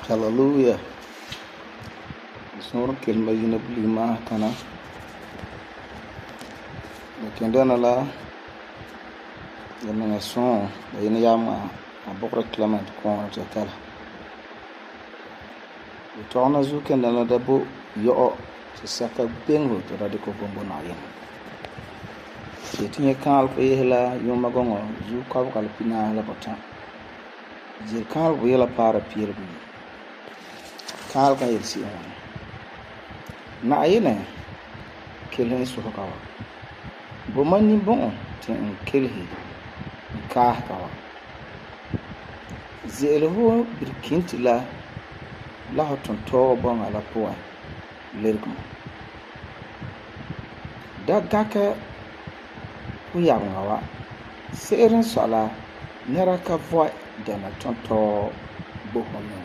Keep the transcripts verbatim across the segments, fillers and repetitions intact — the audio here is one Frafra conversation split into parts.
Hallelujah. Snor kelma yina bulima tana. Kendana la yana son yina yama abokra Clement kon tatala. Tona zu kendana da bo yo se saka bengo to radiko bombo na yin. Tinye kal ko yela yoma gongo zu ka kal pina la bota. Jir kal ko yela para pierbi. Kal ka yelsi on. Na ayine kelhen su kawa. Bo manni bon tin kelhi ka kawa. Zelho birkinti la la hoton to bon ala poa lerkum. Da gaka ku yawa serin sala nera ka voi dana tonto bo hono.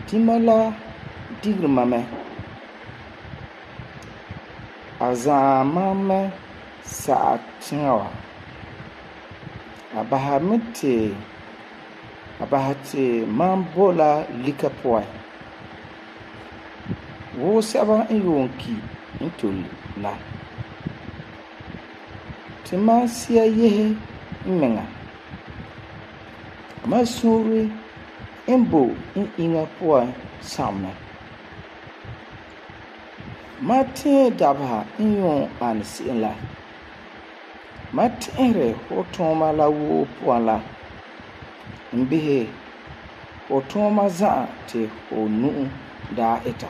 Timala digrmame azamame sa'atinwa abahamite abahate mambola likapoa wo saba yonki intol la timasia yehe menga masuri embo in inga poa samna Martin dabha inyon ansi la Martin hotoma la wo poa la mbihe hotoma za te onu da eta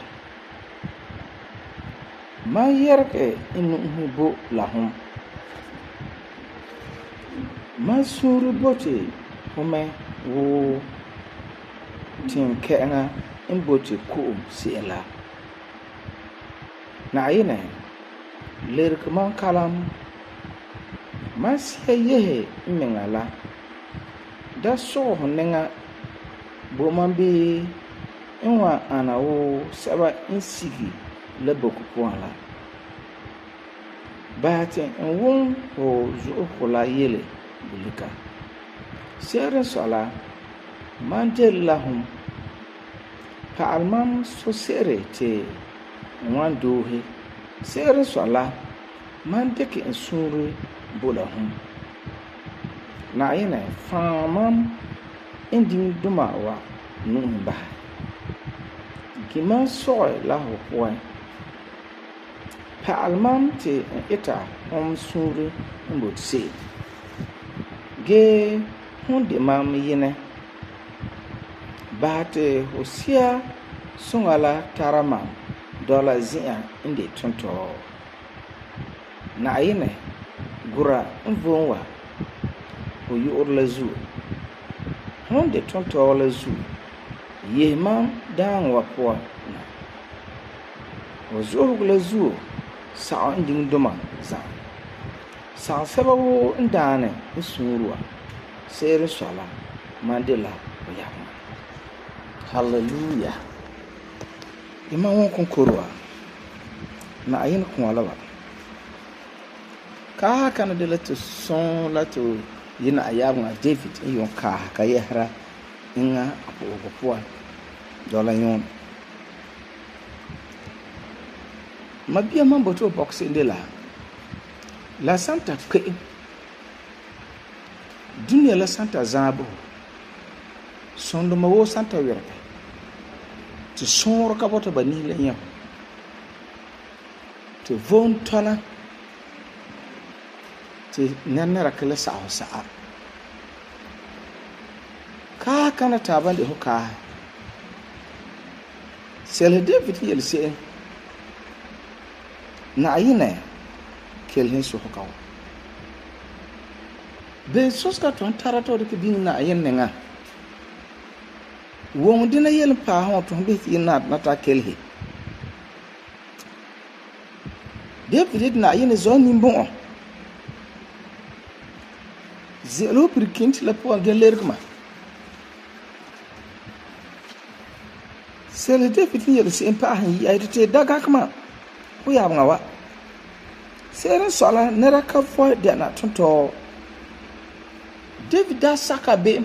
ma yerke inu hubo la hum ma suru bote home wo tin kenga imbote ko si la na ayine lerk man kalam masia yehe mengala da so honenga bo man bi enwa anawo saba insigi le boku poala bate enwon ho zo kola yele bulika sere sala mandel lahum ka almam so sere te wan dohe sere sala mandeke ensuru bolahum na ayina famam indin duma wa numba gima soy la ho pa almam te eta hom suru mbot se ge hunde mam yene bate hosia sungala tarama dola zia inde tonto na ayine gura mvonwa o yorla zu honde tonto la zu yema dan wa po na o zo la zu sa nding doma za sa sababu ndane isurwa sere sala mandela o yama hallelujah ima won konkorwa na ayin kun alaba ka kana de la to son la to yina ayabun David yon ka ka yehra inga apo po dola yon mabia mambo to box indela la santa ke dunia la santa zabo sondo mawo santa werpe to sonro ka bota bani le yam to von tona te nɛnɛra kele sa'a sa'a kaa kana taaba de ho kaa Sel David yel se'em Na'ayinɛ kelhen soka wa Ben soska ton tara to de ke bin Na'ayin nenga Wong dina yel pa hon ton be ti na nata kelhe David Na'ayin zon nimbon Zelo pirkint la po gelergma Sel David yel se'em pa han yi ayde te daga kama Ho ya nga wa Seren sola nera ka fo de na tonto David da saka be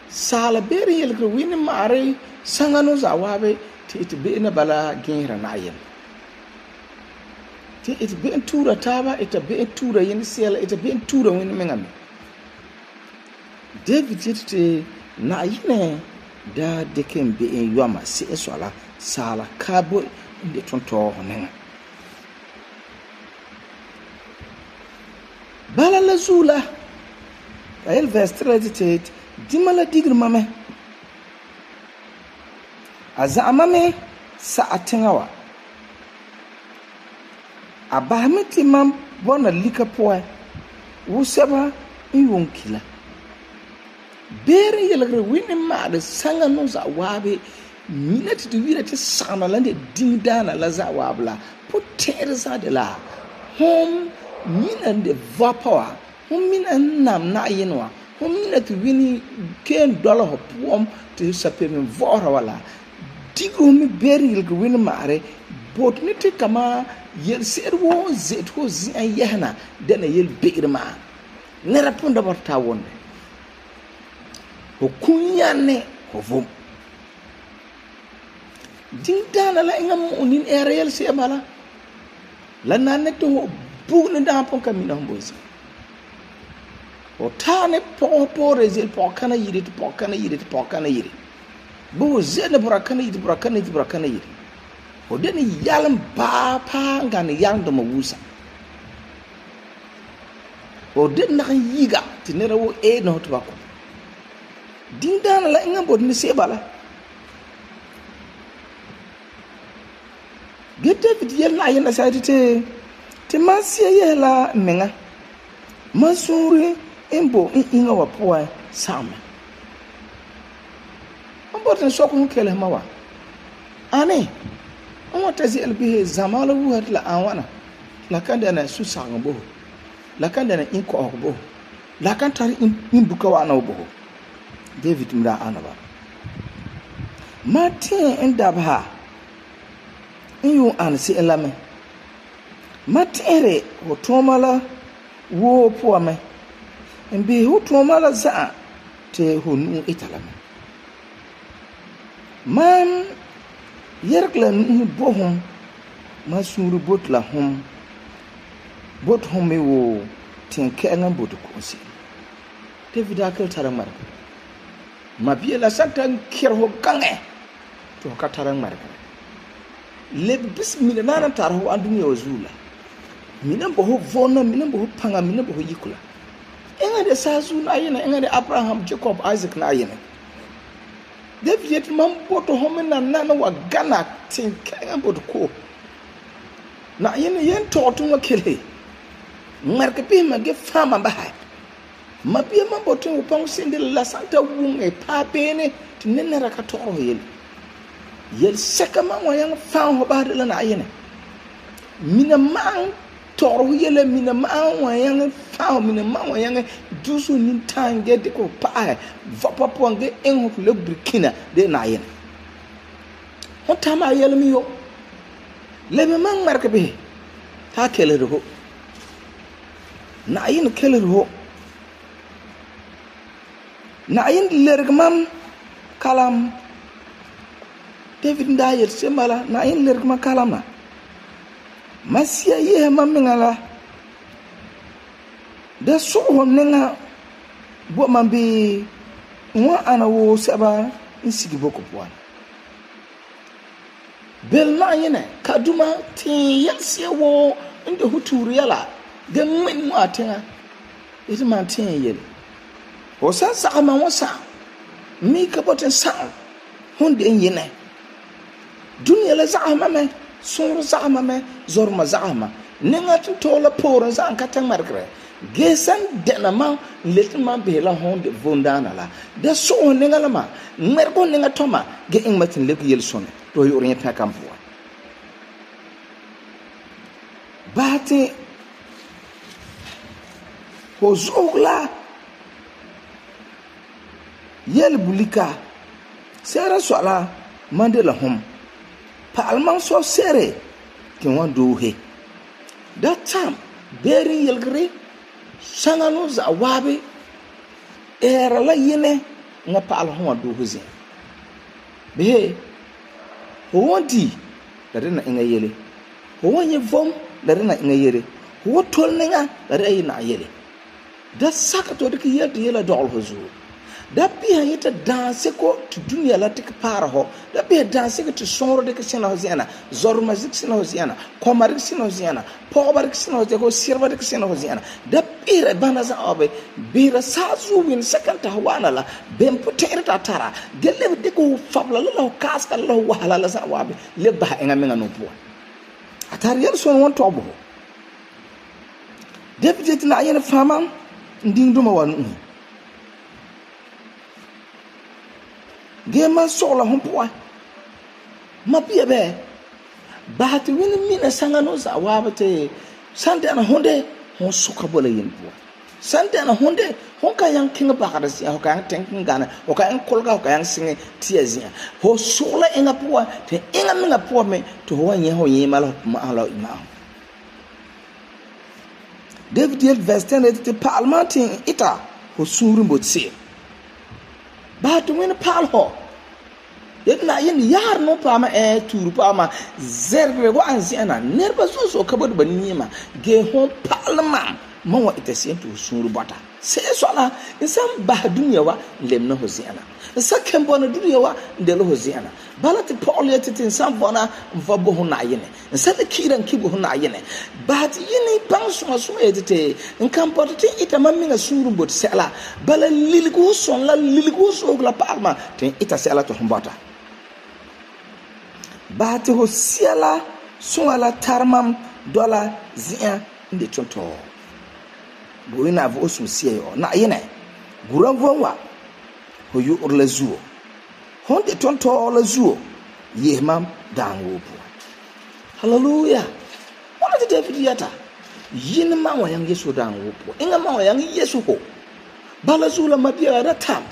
sala bere yel ko wini mare sangano za wabe ti it be na bala ginra na yen ti it be tura taba it be tura yen sel it be tura wini mengame David yete na yine da deken be en yoma se sola sala kabo de tonto honen bala la zula ayel verse thirty-eight dimala digir mame azamame sa atengawa abahamiti mam bona lika poe wuseba iwonkila bere yelgre winni maade sanga no za wabe minati de wira te sana lande dingdana la za wabla potere za de la hom minan de vapor hom minan nam na yinwa hom minati wini ken dollar ho pom te sape men vora wala digo mi bere yelgre winni maare bot ni te kama yel serwo zet ho zin yehna dana yel begrema ne raponda borta wonde ho kunyane ho vom ding dana la ngam unin erel se bala la nanne to bugna da pon kamina hombozi o tane po po rezil po kana yiri po kana yiri po kana yiri bo zene bura kana yiri bura kana yiri bura kana yiri o deni yalam ba pa ngane yang do mawusa o den na yiga tinera wo e no to bako ding dana la ngam bod ni se bala gete David yel na yena sa te te masia yela menga masuri embo inga wa poa sama ambo ten sokun kele mawa ane on tazi elbi zamala wuhat la awana la kanda na susanga bo la kanda na inko bo la kan tari in buka wa na bo David mra anaba Martin endabha inyu ansi elame matere hotomala wo poame mbi hotomala za te honu italame man yerkla nu bohum masuru botla hum bot hum me wo tinke ngam botu konsi David akal taramar mabiela santan kirho gange to ka taramar le bismillah nana tarho andunya wazula mina boho vona mina boho panga mina boho yikula enga de sazu na yena enga de Abraham Jacob Isaac na yena David man boto homena nana wa gana tin kanga boto ko na yena yen totu makele marke pe mage fama ba mabia man boto upang sinde la santa wunge pa bene tinena ka toro yele yel seka man wa yang fan ho ba de la na yene mina man toro yele mina man wa yang fan mina man wa yang dusu nin tange de ko pa vapa ponge en ho le burkina de na yene ho tama yele mi yo le me man marke be ta kele ro na yene kele ro na yene lergmam kalam David ndayer semala na in lergma kalama masia ye mamingala da so honenga bo mambe wa ana wo saba insigi boko pwan bel na yene kaduma tin yelse wo inde huturu yala ge min mu atenga ite man tin yele o san sa ma wasa mi ka boten sa honde yene dunya la zahma me sur zahma me zorma zahma ninga tu tola por zan ka tan markre ge san dena ma let man be la honde vondana la da so ninga la ma mergo ninga toma ge ing matin le yel son to yo rin ta kam fo bati ho zogla yel bulika sera sola mandela hom pa alman so sere kin wan do he that time beri yelgre sangano za wabe era la yene nga pa al hom do ho zin be ho wonti da na inga yele ho wonye vom da na inga yele ho tol ninga da na yele da saka to dik yel yela dol ho zu da bi ha yita danse ko to dunya la tik para ho da bi danse ko to sonro de sina ho ziana zorma zik sina ho ziana komar sina ho ziana pobar sina ho ko sirba de sina ho ziana da bi re bana za obe bi ra sa zu win second ta wana la bem potere ta tara gelle de ko fabla la ho kaska la ho wala la za wabe le ba enga menga no po atar yel son won to bo deputy na yene fama nding duma wan gema sola hompoa mapia be bahati wini mina sangano za wabate sante na honde hon suka bola yinpo sante na honde hon ka yang kinga bakara si ho ka yang tenkin gana ho ka yang kolga ho ka yang singe tiazia ho sola enga poa te enga minga poa me to ho nye ho yema la ma ala ima David yel verse ten te parliamentin ita ho suru mbotse ba to win pal ho yedna yin yar no pa ma e turu pa ma zerbe wa anziana nerba so so kabod banima ge ho parlement ma wa itesien to suru bata se so la insam ba dunya wa lemna ho ziana sa kembo na dunya wa ndelo ho ziana balati paul yetete insam bona mfabo ho na yene sa le kiran kibo ho na yene but yini bang so so yetete nkampo te ita maminga suru bot sela bala liligo son la liligo so la parma te ita sela to hombata bahati ho siala so ala tarmam dola zia ndi tonto boina vo osum sie yo na yene guran vonwa ho yu orla zuo honde tonto la zuo yemam danwo po hallelujah wala de David yata yin ma wa yang yesu danwo po inga ma wa yang yesu ko bala zula mabia da tam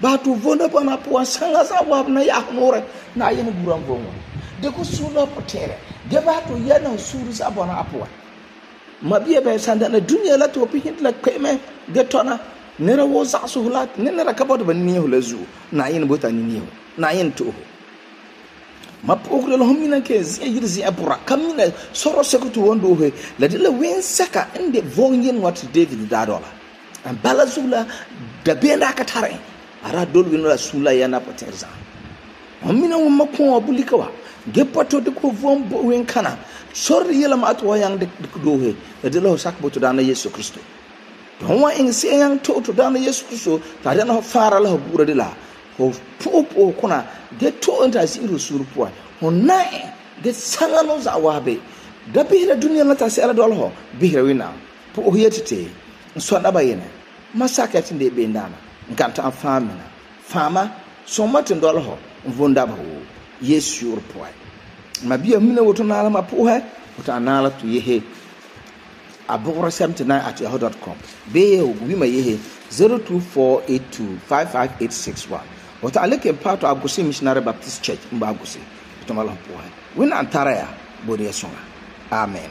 ba to vonda bana po sanga za wa na ya nore na yene guran vonwa de ko sula potere de ba to yana suru za bana apo mabia be sanda na dunya la to pi hit la kweme getona nera wo za su hulat nera kabod ban ni hulazu na yin bota ni ni na yin to ma pokre lo homina ke zi yirzi apura kamina soro sekutu wondo he la de la wen saka inde vonyen wat David da dola an balazula da benda ka tare ara dolwin la sula yana poterza homina wo makon abulika wa gepato de ko vom wen kana sorri yela ma to yang de do he de lo sak boto dana Yesu Kristo don wa in se yang to to dana Yesu Kristo ta dana fara la bura de la ho popo kuna de to enta siru surpo ho nai de sangano za wabe da bihira dunia na ta se ala dol ho bihira wina po ho yetete so da bayene masaka tinde be ndana nganta afamina fama so matin dol ho vonda ba ho Yesu urpo mabia mina woto na ala mapuhe woto anala to yehe abogora seventy-nine at yahoo dot com be wi ma yehe zero two four eight two five five eight six one woto aleke part of Agusi Missionary Baptist Church mba Agusi to mala puhe wina antara ya bodi yesonga amen.